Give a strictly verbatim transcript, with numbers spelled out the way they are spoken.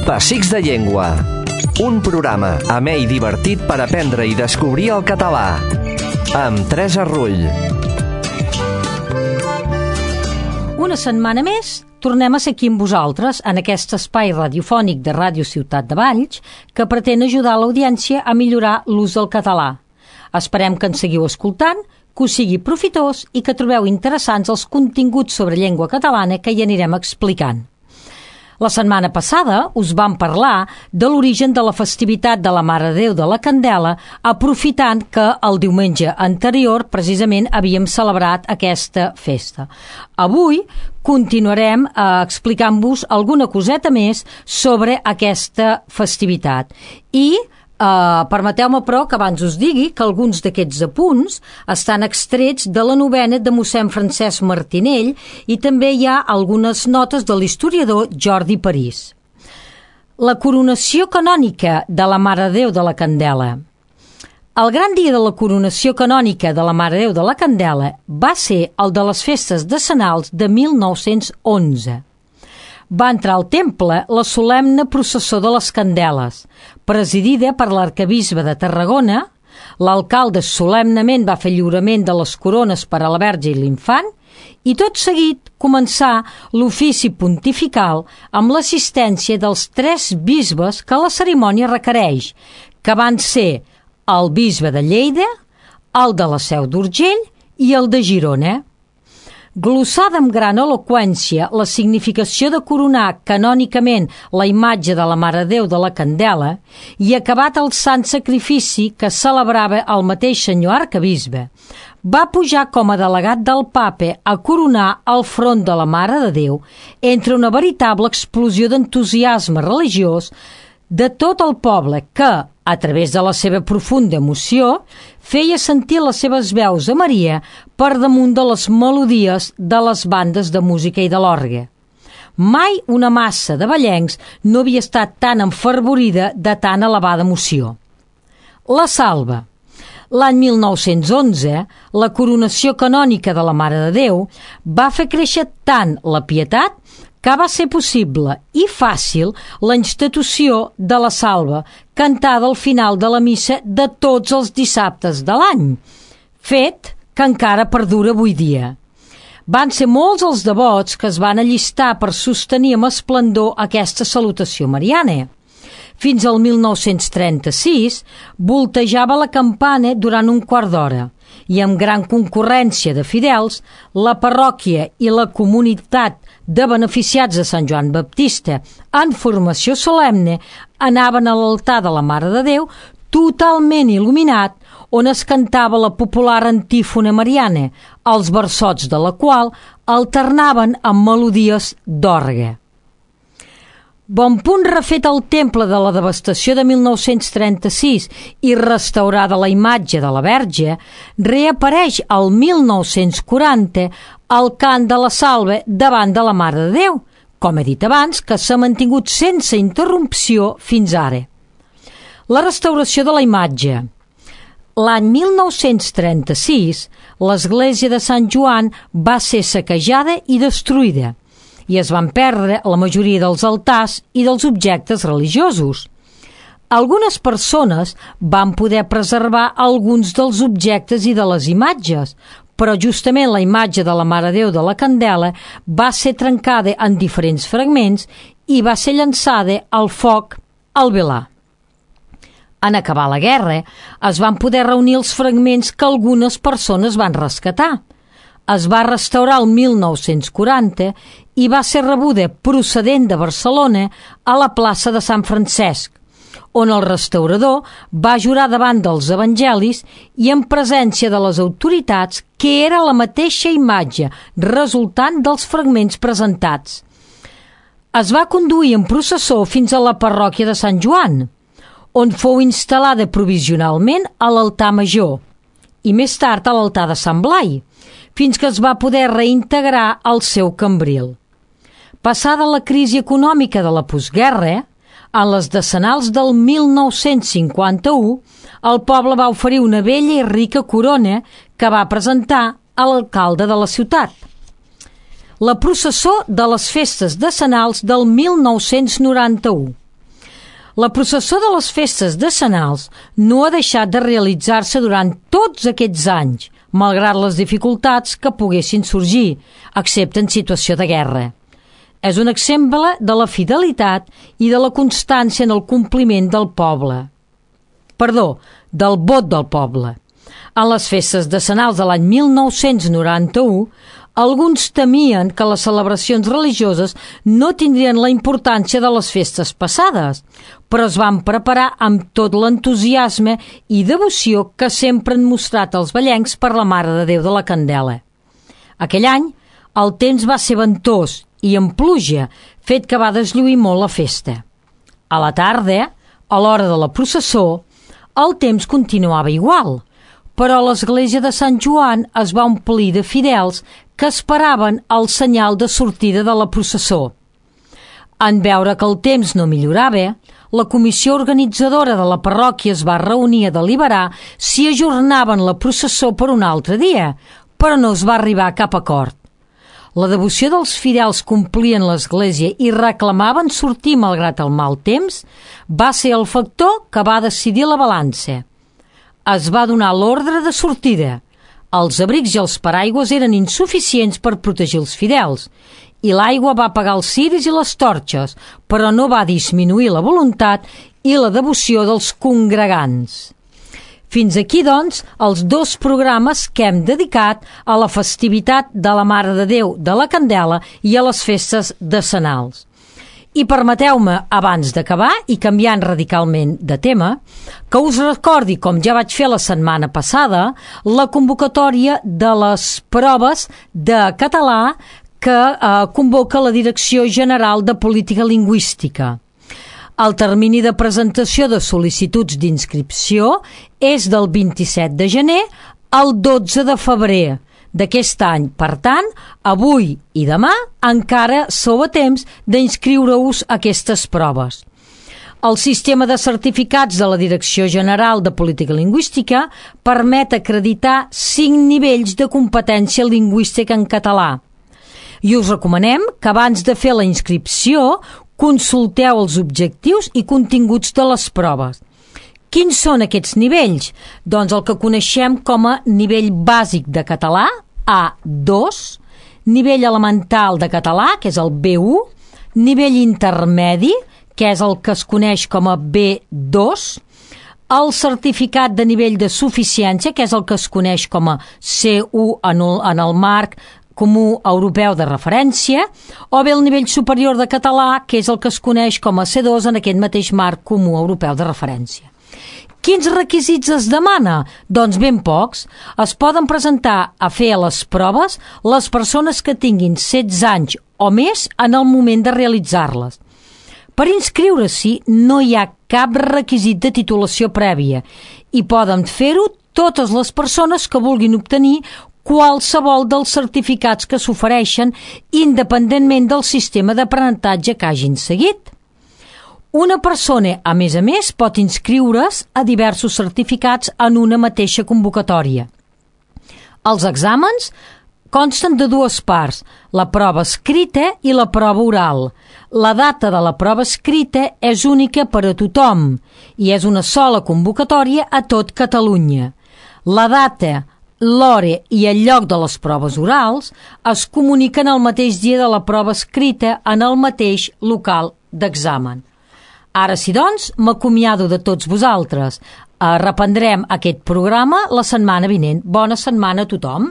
Pessics de Llengua, un programa amè i divertit per aprendre i descobrir el català, amb Teresa Rull. Una setmana més tornem a ser aquí amb vosaltres en aquest espai radiofònic de Ràdio Ciutat de Valls que pretén ajudar l'audiència a millorar l'ús del català. Esperem que ens seguiu escoltant, que us sigui profitós i que trobeu interessants els continguts sobre llengua catalana que hi anirem explicant. La setmana passada us vam parlar de l'origen de la festivitat de la Mare de Déu de la Candela, aprofitant que el diumenge anterior precisament havíem celebrat aquesta festa. Avui continuarem eh, explicant-vos alguna coseta més sobre aquesta festivitat i Uh, permeteu-me però que abans us digui que alguns d'aquests apunts estan extrets de la novena de mossèn Francesc Martinell i també hi ha algunes notes de l'historiador Jordi París. La coronació canònica de la Mare de Déu de la Candela. El gran dia de la coronació canònica de la Mare de Déu de la Candela va ser el de les festes decennals de mil nou-cents onze. Va entrar al temple la solemne processó de les Candeles, presidida per l'arquebisbe de Tarragona. L'alcalde solemnement va fer lliurament de les corones per a la Verge i l'Infant i tot seguit començà l'ofici pontifical amb l'assistència dels tres bisbes que la cerimònia requereix, que van ser el bisbe de Lleida, el de la Seu d'Urgell i el de Girona. Glossada amb gran eloqüència la significació de coronar canònicament la imatge de la Mare de Déu de la Candela i acabat el sant sacrifici que celebrava el mateix senyor arquebisbe, va pujar com a delegat del Papa a coronar el front de la Mare de Déu entre una veritable explosió d'entusiasme religiós de tot el poble que, a través de la seva profunda emoció, feia sentir les seves veus a Maria per damunt de les melodies de les bandes de música i de l'orgue. Mai una massa de vallencs no havia estat tan enfervorida de tan elevada emoció. La Salva. L'any mil nou-cents onze, la coronació canònica de la Mare de Déu va fer créixer tant la pietat que va ser possible i fàcil la institució de la Salva, cantada al final de la missa de tots els dissabtes de l'any, fet que encara perdura avui dia. Van ser molts els devots que es van allistar per sostenir amb esplendor aquesta salutació mariana. Fins al mil nou-cents trenta-sis voltejava la campana durant un quart d'hora i amb gran concurrència de fidels, la parròquia i la comunitat de beneficiats de Sant Joan Baptista en formació solemne anaven a l'altar de la Mare de Déu totalment il·luminat on es cantava la popular antífona mariana, els versots de la qual alternaven amb melodies d'orgue. Bon punt refet el temple de la devastació de mil nou-cents trenta-sis i restaurada la imatge de la Verge, reapareix al mil nou-cents quaranta el cant de la Salve davant de la Mare de Déu, com he dit abans, que s'ha mantingut sense interrupció fins ara. La restauració de la imatge. L'any mil nou-cents trenta-sis, l'església de Sant Joan va ser saquejada i destruïda, i es van perdre la majoria dels altars i dels objectes religiosos. Algunes persones van poder preservar alguns dels objectes i de les imatges, però justament la imatge de la Mare de Déu de la Candela va ser trencada en diferents fragments i va ser llançada al foc al Velar. En acabar la guerra, es van poder reunir els fragments que algunes persones van rescatar. Es va restaurar el mil nou-cents quaranta i va ser rebuda procedent de Barcelona a la plaça de Sant Francesc, on el restaurador va jurar davant dels evangelis i en presència de les autoritats que era la mateixa imatge resultant dels fragments presentats. Es va conduir en processó fins a la parròquia de Sant Joan, on fou instal·lada provisionalment a l'altar major i més tard a l'altar de Sant Blai, fins que es va poder reintegrar al seu cambril. Passada la crisi econòmica de la postguerra, en les decennals del mil nou-cents cinquanta-u, el poble va oferir una bella i rica corona que va presentar a l'alcalde de la ciutat. La processó de les festes decennals del mil nou-cents noranta-u. La processó de les festes decenals no ha deixat de realitzar-se durant tots aquests anys, malgrat les dificultats que poguessin sorgir, excepte en situació de guerra. És un exemple de la fidelitat i de la constància en el compliment del poble. Perdó, del vot del poble. En les festes decenals de l'any mil nou-cents noranta-u, alguns temien que les celebracions religioses no tindrien la importància de les festes passades, però es van preparar amb tot l'entusiasme i devoció que sempre han mostrat els vallencs per la Mare de Déu de la Candela. Aquell any, el temps va ser ventós i amb pluja, fet que va deslluir molt la festa. A la tarda, a l'hora de la processó, el temps continuava igual, però l'església de Sant Joan es va omplir de fidels que esperaven el senyal de sortida de la processó. En veure que el temps no millorava, la comissió organitzadora de la parròquia es va reunir a deliberar si ajornaven la processó per un altre dia, però no es va arribar a cap acord. La devoció dels fidels que omplien l'església i reclamaven sortir malgrat el mal temps va ser el factor que va decidir la balança. Es va donar l'ordre de sortida. Els abrics i els paraigües eren insuficients per protegir els fidels i l'aigua va apagar els ciris i les torxes, però no va disminuir la voluntat i la devoció dels congregants. Fins aquí, doncs, els dos programes que hem dedicat a la festivitat de la Mare de Déu de la Candela i a les festes decenals. I permeteu-me, abans d'acabar i canviant radicalment de tema, que us recordi, com ja vaig fer la setmana passada, la convocatòria de les proves de català que eh, convoca la Direcció General de Política Lingüística. El termini de presentació de sol·licituds d'inscripció és del vint-i-set de gener al dotze de febrer d'aquest any. Per tant, avui i demà encara sou a temps d'inscriure-us a aquestes proves. El sistema de certificats de la Direcció General de Política Lingüística permet acreditar cinc nivells de competència lingüística en català. I us recomanem que abans de fer la inscripció consulteu els objectius i continguts de les proves. Quins són aquests nivells? Doncs el que coneixem com a nivell bàsic de català, A dos, nivell elemental de català, que és el B u, nivell intermedi, que és el que es coneix com a B dos, el certificat de nivell de suficiència, que és el que es coneix com a C u en el, en el marc comú europeu de referència, o bé el nivell superior de català, que és el que es coneix com a C dos en aquest mateix marc comú europeu de referència. Quins requisits es demana? Doncs ben pocs. Es poden presentar a fer les proves les persones que tinguin setze anys o més en el moment de realitzar-les. Per inscriure-s'hi no hi ha cap requisit de titulació prèvia i poden fer-ho totes les persones que vulguin obtenir qualsevol dels certificats que s'ofereixen independentment del sistema d'aprenentatge que hagin seguit. Una persona, a més a més, pot inscriure's a diversos certificats en una mateixa convocatòria. Els exàmens consten de dues parts, la prova escrita i la prova oral. La data de la prova escrita és única per a tothom i és una sola convocatòria a tot Catalunya. La data, l'hora i el lloc de les proves orals es comuniquen el mateix dia de la prova escrita en el mateix local d'examen. Ara sí, doncs, m'acomiado de tots vosaltres. Reprendrem aquest programa la setmana vinent. Bona setmana a tothom.